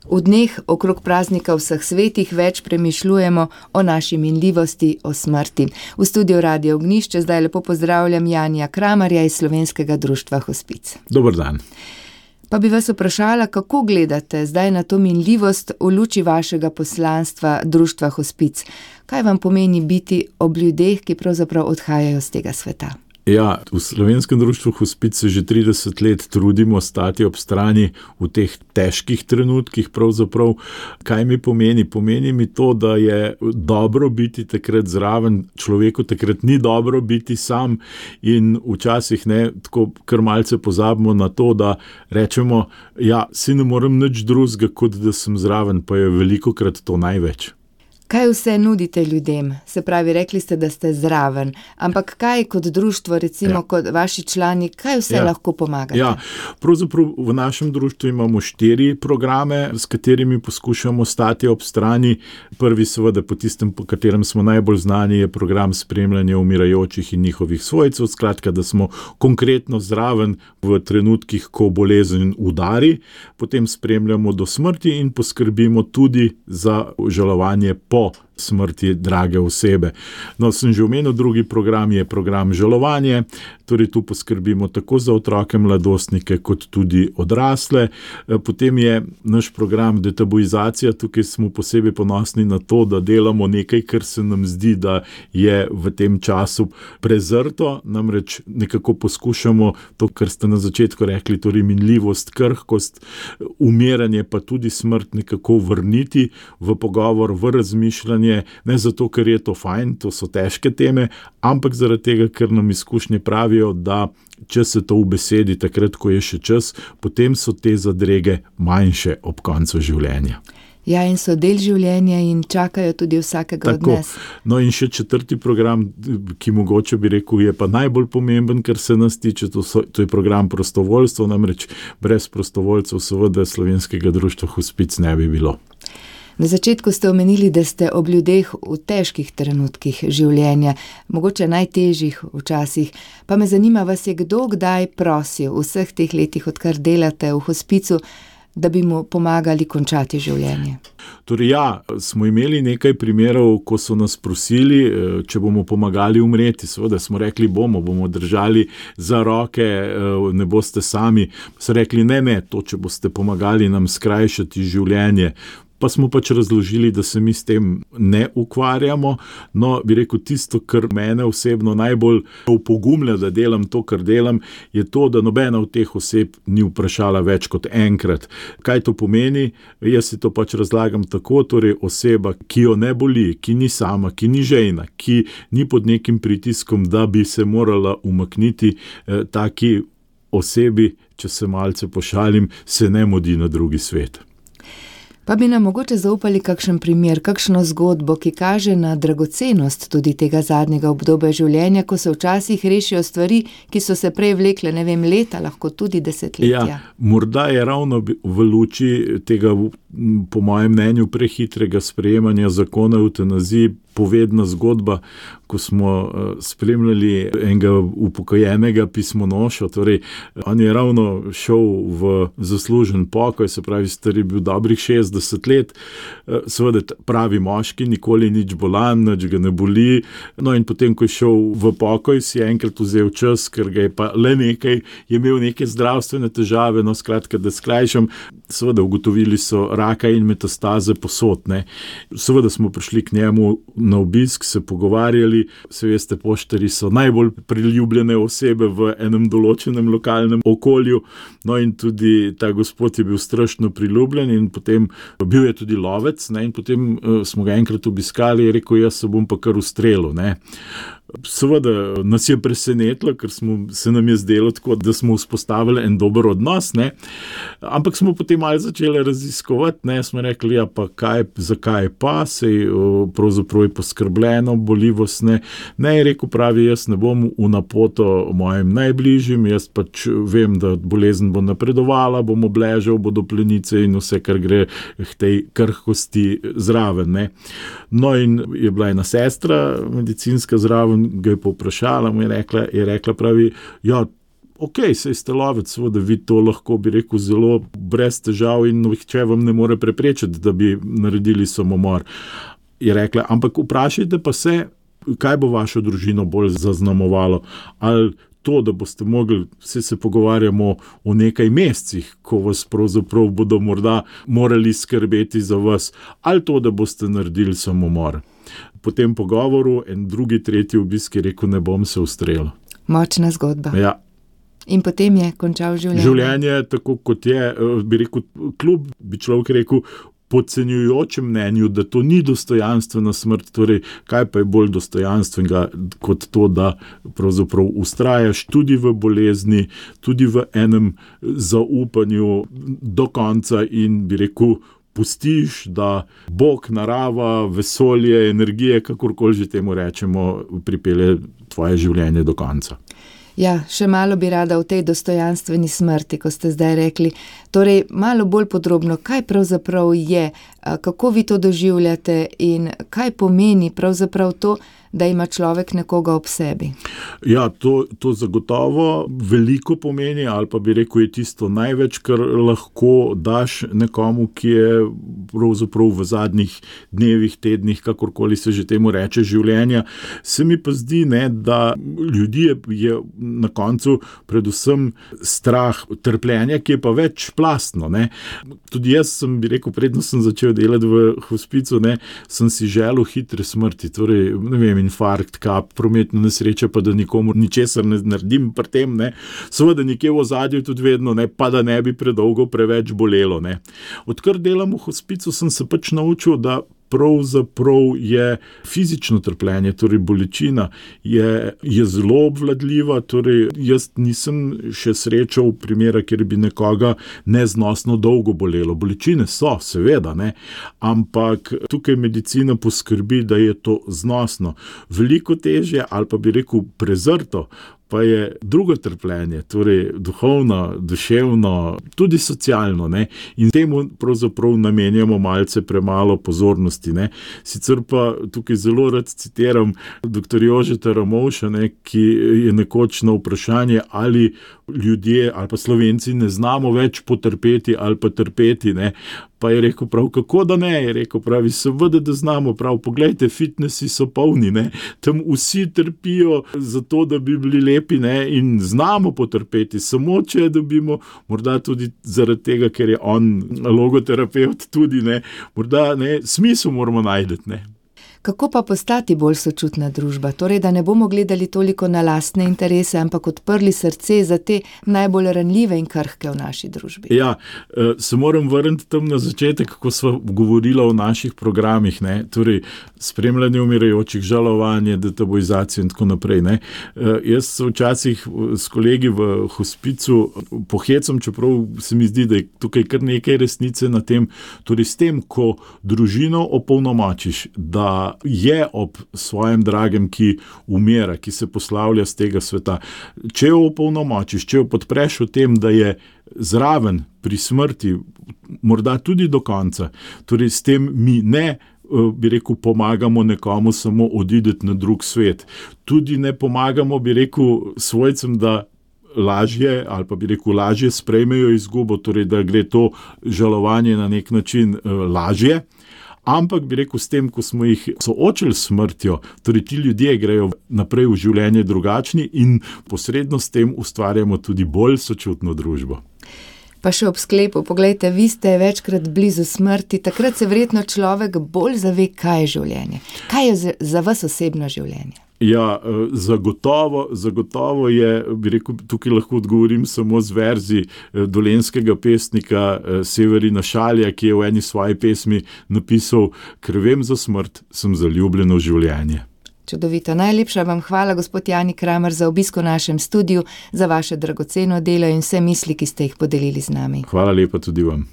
V dneh okrog praznika vseh svetih več premišljujemo o naši minljivosti, o smrti. V studiu Radio Ognjišče zdaj lepo pozdravljam Janija Kramarja iz Slovenskega društva Hospic. Dober dan. Pa bi vas vprašala, kako gledate zdaj na to minljivost v luči vašega poslanstva društva Hospic? Kaj vam pomeni biti ob ljudeh, ki pravzaprav odhajajo z tega sveta? Ja, v Slovenskem društvu Hospic se že 30 let trudimo stati ob strani v teh težkih trenutkih pravzaprav. Kaj mi pomeni? Pomeni mi to, da je dobro biti takrat zraven, človeku takrat ni dobro biti sam in včasih tako kar malce pozabimo na to, da rečemo, ja, si ne morem nič drugega, kot da sem zraven, pa je velikokrat to največ. Kaj vse nudite ljudem? Se pravi, rekli ste, da ste zraven, ampak kaj kot društvo, recimo kot vaši člani, kaj vse lahko pomagate? Ja, pravzaprav v našem društvu imamo 4 programe, s katerimi poskušamo stati ob strani. Prvi seveda po tistem, po katerem smo najbolj znani, je program spremljanja umirajočih in njihovih svojcev, skratka, da smo konkretno zraven v trenutkih, ko bolezen udari, potem spremljamo do smrti in poskrbimo tudi za žalovanje po smrti drage osebe. No, sem že omenil, drugi program je program žalovanje, torej tu poskrbimo tako za otroke, mladostnike, kot tudi odrasle. Potem je naš program detabuizacija, tukaj smo posebej ponosni na to, da delamo nekaj, kar se nam zdi, da je v tem času prezrto, namreč nekako poskušamo to, kar ste na začetku rekli, torej minljivost, krhkost, umiranje, pa tudi smrt nekako vrniti v pogovor, v razmišljanje, ne zato, ker je to fajn, to so težke teme, ampak zaradi tega, ker nam izkušnje pravijo, da če se to ubesedi takrat, ko je še čas, potem so te zadrege manjše ob koncu življenja. Ja, in so del življenja in čakajo tudi vsakega od nas. No in še 4. program, ki mogoče bi rekel, je pa najbolj pomemben, kar se nas tiče, to je program prostovoljstva, namreč brez prostovoljcev seveda Slovenskega društva Hospic ne bi bilo. Na začetku ste omenili, da ste ob ljudeh v težkih trenutkih življenja, mogoče najtežjih včasih, pa me zanima, vas je kdo kdaj prosil v vseh teh letih, odkar delate v Hospicu, da bi mu pomagali končati življenje? Torej ja, smo imeli nekaj primerov, ko so nas prosili, če bomo pomagali umreti. Seveda smo rekli, bomo držali za roke, ne boste sami. So rekli, ne, to, če boste pomagali nam skrajšati življenje. Pa smo pač razložili, da se mi s tem ne ukvarjamo. No, bi rekel, tisto, kar mene osebno najbolj opogumlja, da delam to, kar delam, je to, da nobena od teh oseb ni vprašala več kot enkrat. Kaj to pomeni? Jaz si to pač razlagam tako, torej oseba, ki jo ne boli, ki ni sama, ki ni žejna, ki ni pod nekim pritiskom, da bi se morala umakniti, taki osebi, če se malce pošalim, se ne mudi na drugi svet. Pa bi nam mogoče zaupali kakšen primer, kakšno zgodbo, ki kaže na dragocenost tudi tega zadnjega obdobja življenja, ko se včasih rešijo stvari, ki so se prej vlekle, leta, lahko tudi desetletja. Ja, morda je ravno v luči tega, po mojem mnenju, prehitrega sprejemanja zakona o evtanaziji povedna zgodba, ko smo spremljali enega upokojenega pismonoša, torej on je ravno šel v zaslužen pokoj, se pravi, star je bil dobrih 60 let, seveda pravi moški, nikoli nič bolan, nič ga ne boli, no in potem, ko je šel v pokoj, si je enkrat vzel čas, ker ga je pa le nekaj, je imel neke zdravstvene težave, no skratka, da skrajšam, seveda ugotovili so raka in metastaze posod, ne. Seveda smo prišli k njemu na obisk, se pogovarjali, se veste, poštarji so najbolj priljubljene osebe v enem določenem lokalnem okolju, no in tudi ta gospod je bil strašno priljubljen in potem bil je tudi lovec, ne, in potem smo ga enkrat obiskali in rekel, jaz se bom pa kar ustrelil, ne. Seveda nas je presenetilo, ker se nam je zdelo tako, da smo vzpostavili en dober odnos, ne. Ampak smo potem malo začeli raziskovati, ne, smo rekli, ja pa zakaj pa, sej pravzaprav je poskrbljeno, boljivost ne. Ne, je rekel, pravi, jaz ne bom v napoto mojim najbližjim, jaz pač vem, da bolezen bo napredovala, bom obležal, bodo plenice in vse, kar gre k tej krhkosti zraven, ne. No in je bila ena sestra medicinska zraven, ga je povprašala, mu je rekla, pravi, ja, sej ste lovec, seveda vi to lahko, bi rekel, zelo brez težav in nihče vam ne more preprečiti, da bi naredili samomor. Je rekla, ampak vprašajte pa se, kaj bo vašo družino bolj zaznamovalo. Ali to, da boste mogli, se pogovarjamo o nekaj mesecih, ko vas pravzaprav bodo morda morali skrbeti za vas, ali to, da boste naredili samomor. Po tem pogovoru en drugi, tretji obisk je rekel, ne bom se ustrelil. Močna zgodba. Ja. In potem je končal življenje. Življenje, tako kot je, bi rekel, kljub bi človek rekel, podcenjujočem mnenju, da to ni dostojanstvena smrt, torej kaj pa je bolj dostojanstvenega kot to, da pravzaprav vztrajaš tudi v bolezni, tudi v enem zaupanju do konca in bi rekel, pustiš, da Bog, narava, vesolje, energije, kakorkoli že temu rečemo, pripelje tvoje življenje do konca. Ja, še malo bi rada o tej dostojanstveni smrti, ko ste zdaj rekli. Torej, malo bolj podrobno, kaj pravzaprav je, kako vi to doživljate in kaj pomeni pravzaprav to, da ima človek nekoga ob sebi? Ja, to zagotovo veliko pomeni, ali pa bi rekel, je tisto največ, kar lahko daš nekomu, ki je pravzaprav v zadnjih dnevih, tednih, kakorkoli se že temu reče, življenja. Se mi pa zdi, da ljudi je na koncu predvsem strah trpljenja, ki je pa večplastno. Tudi jaz sem, bi rekel, predno sem začel delati v hospicu, sem si želel hitre smrti, torej, ne vem, infarkt, kap, prometna nesreča, pa da nikomur ničesar ne naredim pri tem, seveda nekje v ozadju tudi vedno, pa da ne bi predolgo preveč bolelo. Odkar delam v hospicu, sem se pač naučil, da pravzaprav je fizično trpljenje, torej bolečina, je zelo obvladljiva, torej jaz nisem še srečal primera, kjer bi nekoga neznosno dolgo bolelo. Bolečine so, seveda, ampak tukaj medicina poskrbi, da je to znosno. Veliko težje, ali pa bi rekel prezrto, pa je drugo trpljenje, torej duhovno, duševno, tudi socialno, in temu pravzaprav namenjamo malce premalo pozornosti. Sicer pa tukaj zelo rad citiram dr. Jožeta Ramovša, ki je nekoč na vprašanje, ali ljudje ali pa Slovenci ne znamo več potrpeti ali pa trpeti, pa je rekel prav, kako da ne, je rekel pravi, seveda, da znamo, prav, poglejte, fitnesi so polni, tam vsi trpijo zato, da bi bili lepi, in znamo potrpeti, samo če dobimo, morda tudi zaradi tega, ker je on logoterapeut tudi, morda, smisel moramo najti, Kako pa postati bolj sočutna družba? Torej, da ne bomo gledali toliko na lastne interese, ampak odprli srce za te najbolj ranljive in krhke v naši družbi. Ja, se moram vrniti tam na začetek, kako sva govorila o naših programih, torej spremljanje umirajočih, žalovanje, detabuizacijo in tako naprej. Jaz se včasih s kolegi v hospicu pohecam, čeprav se mi zdi, da je tukaj kar nekaj resnice na tem, torej s tem, ko družino opolnomočiš, da je ob svojem dragem, ki umira, ki se poslavlja z tega sveta. Če jo opolnomočiš, če jo podpreš v tem, da je zraven pri smrti, morda tudi do konca, torej s tem mi ne, bi rekel, pomagamo nekomu samo odideti na drug svet. Tudi ne pomagamo, bi rekel, svojcem, da lažje, ali pa bi rekel, lažje sprejmejo izgubo, torej da gre to žalovanje na nek način lažje. Ampak bi rekel, s tem, ko smo jih soočili s smrtjo, torej ti ljudje grejo naprej v življenje drugačni in posredno s tem ustvarjamo tudi bolj sočutno družbo. Pa še ob sklepu, poglejte, vi ste večkrat blizu smrti, takrat se verjetno človek bolj zave, kaj je življenje. Kaj je za vas osebno življenje? Ja, zagotovo je, bi rekel, tukaj lahko odgovorim samo z verzi dolenjskega pesnika Severina Šalja, ki je v eni svoji pesmi napisal: "Ker vem za smrt, sem zaljubljen v življenje." Čudovito. Najlepša vam hvala, gospod Jani Kramer, za obisk v našem studiu, za vaše dragoceno delo in vse misli, ki ste jih podelili z nami. Hvala lepa tudi vam.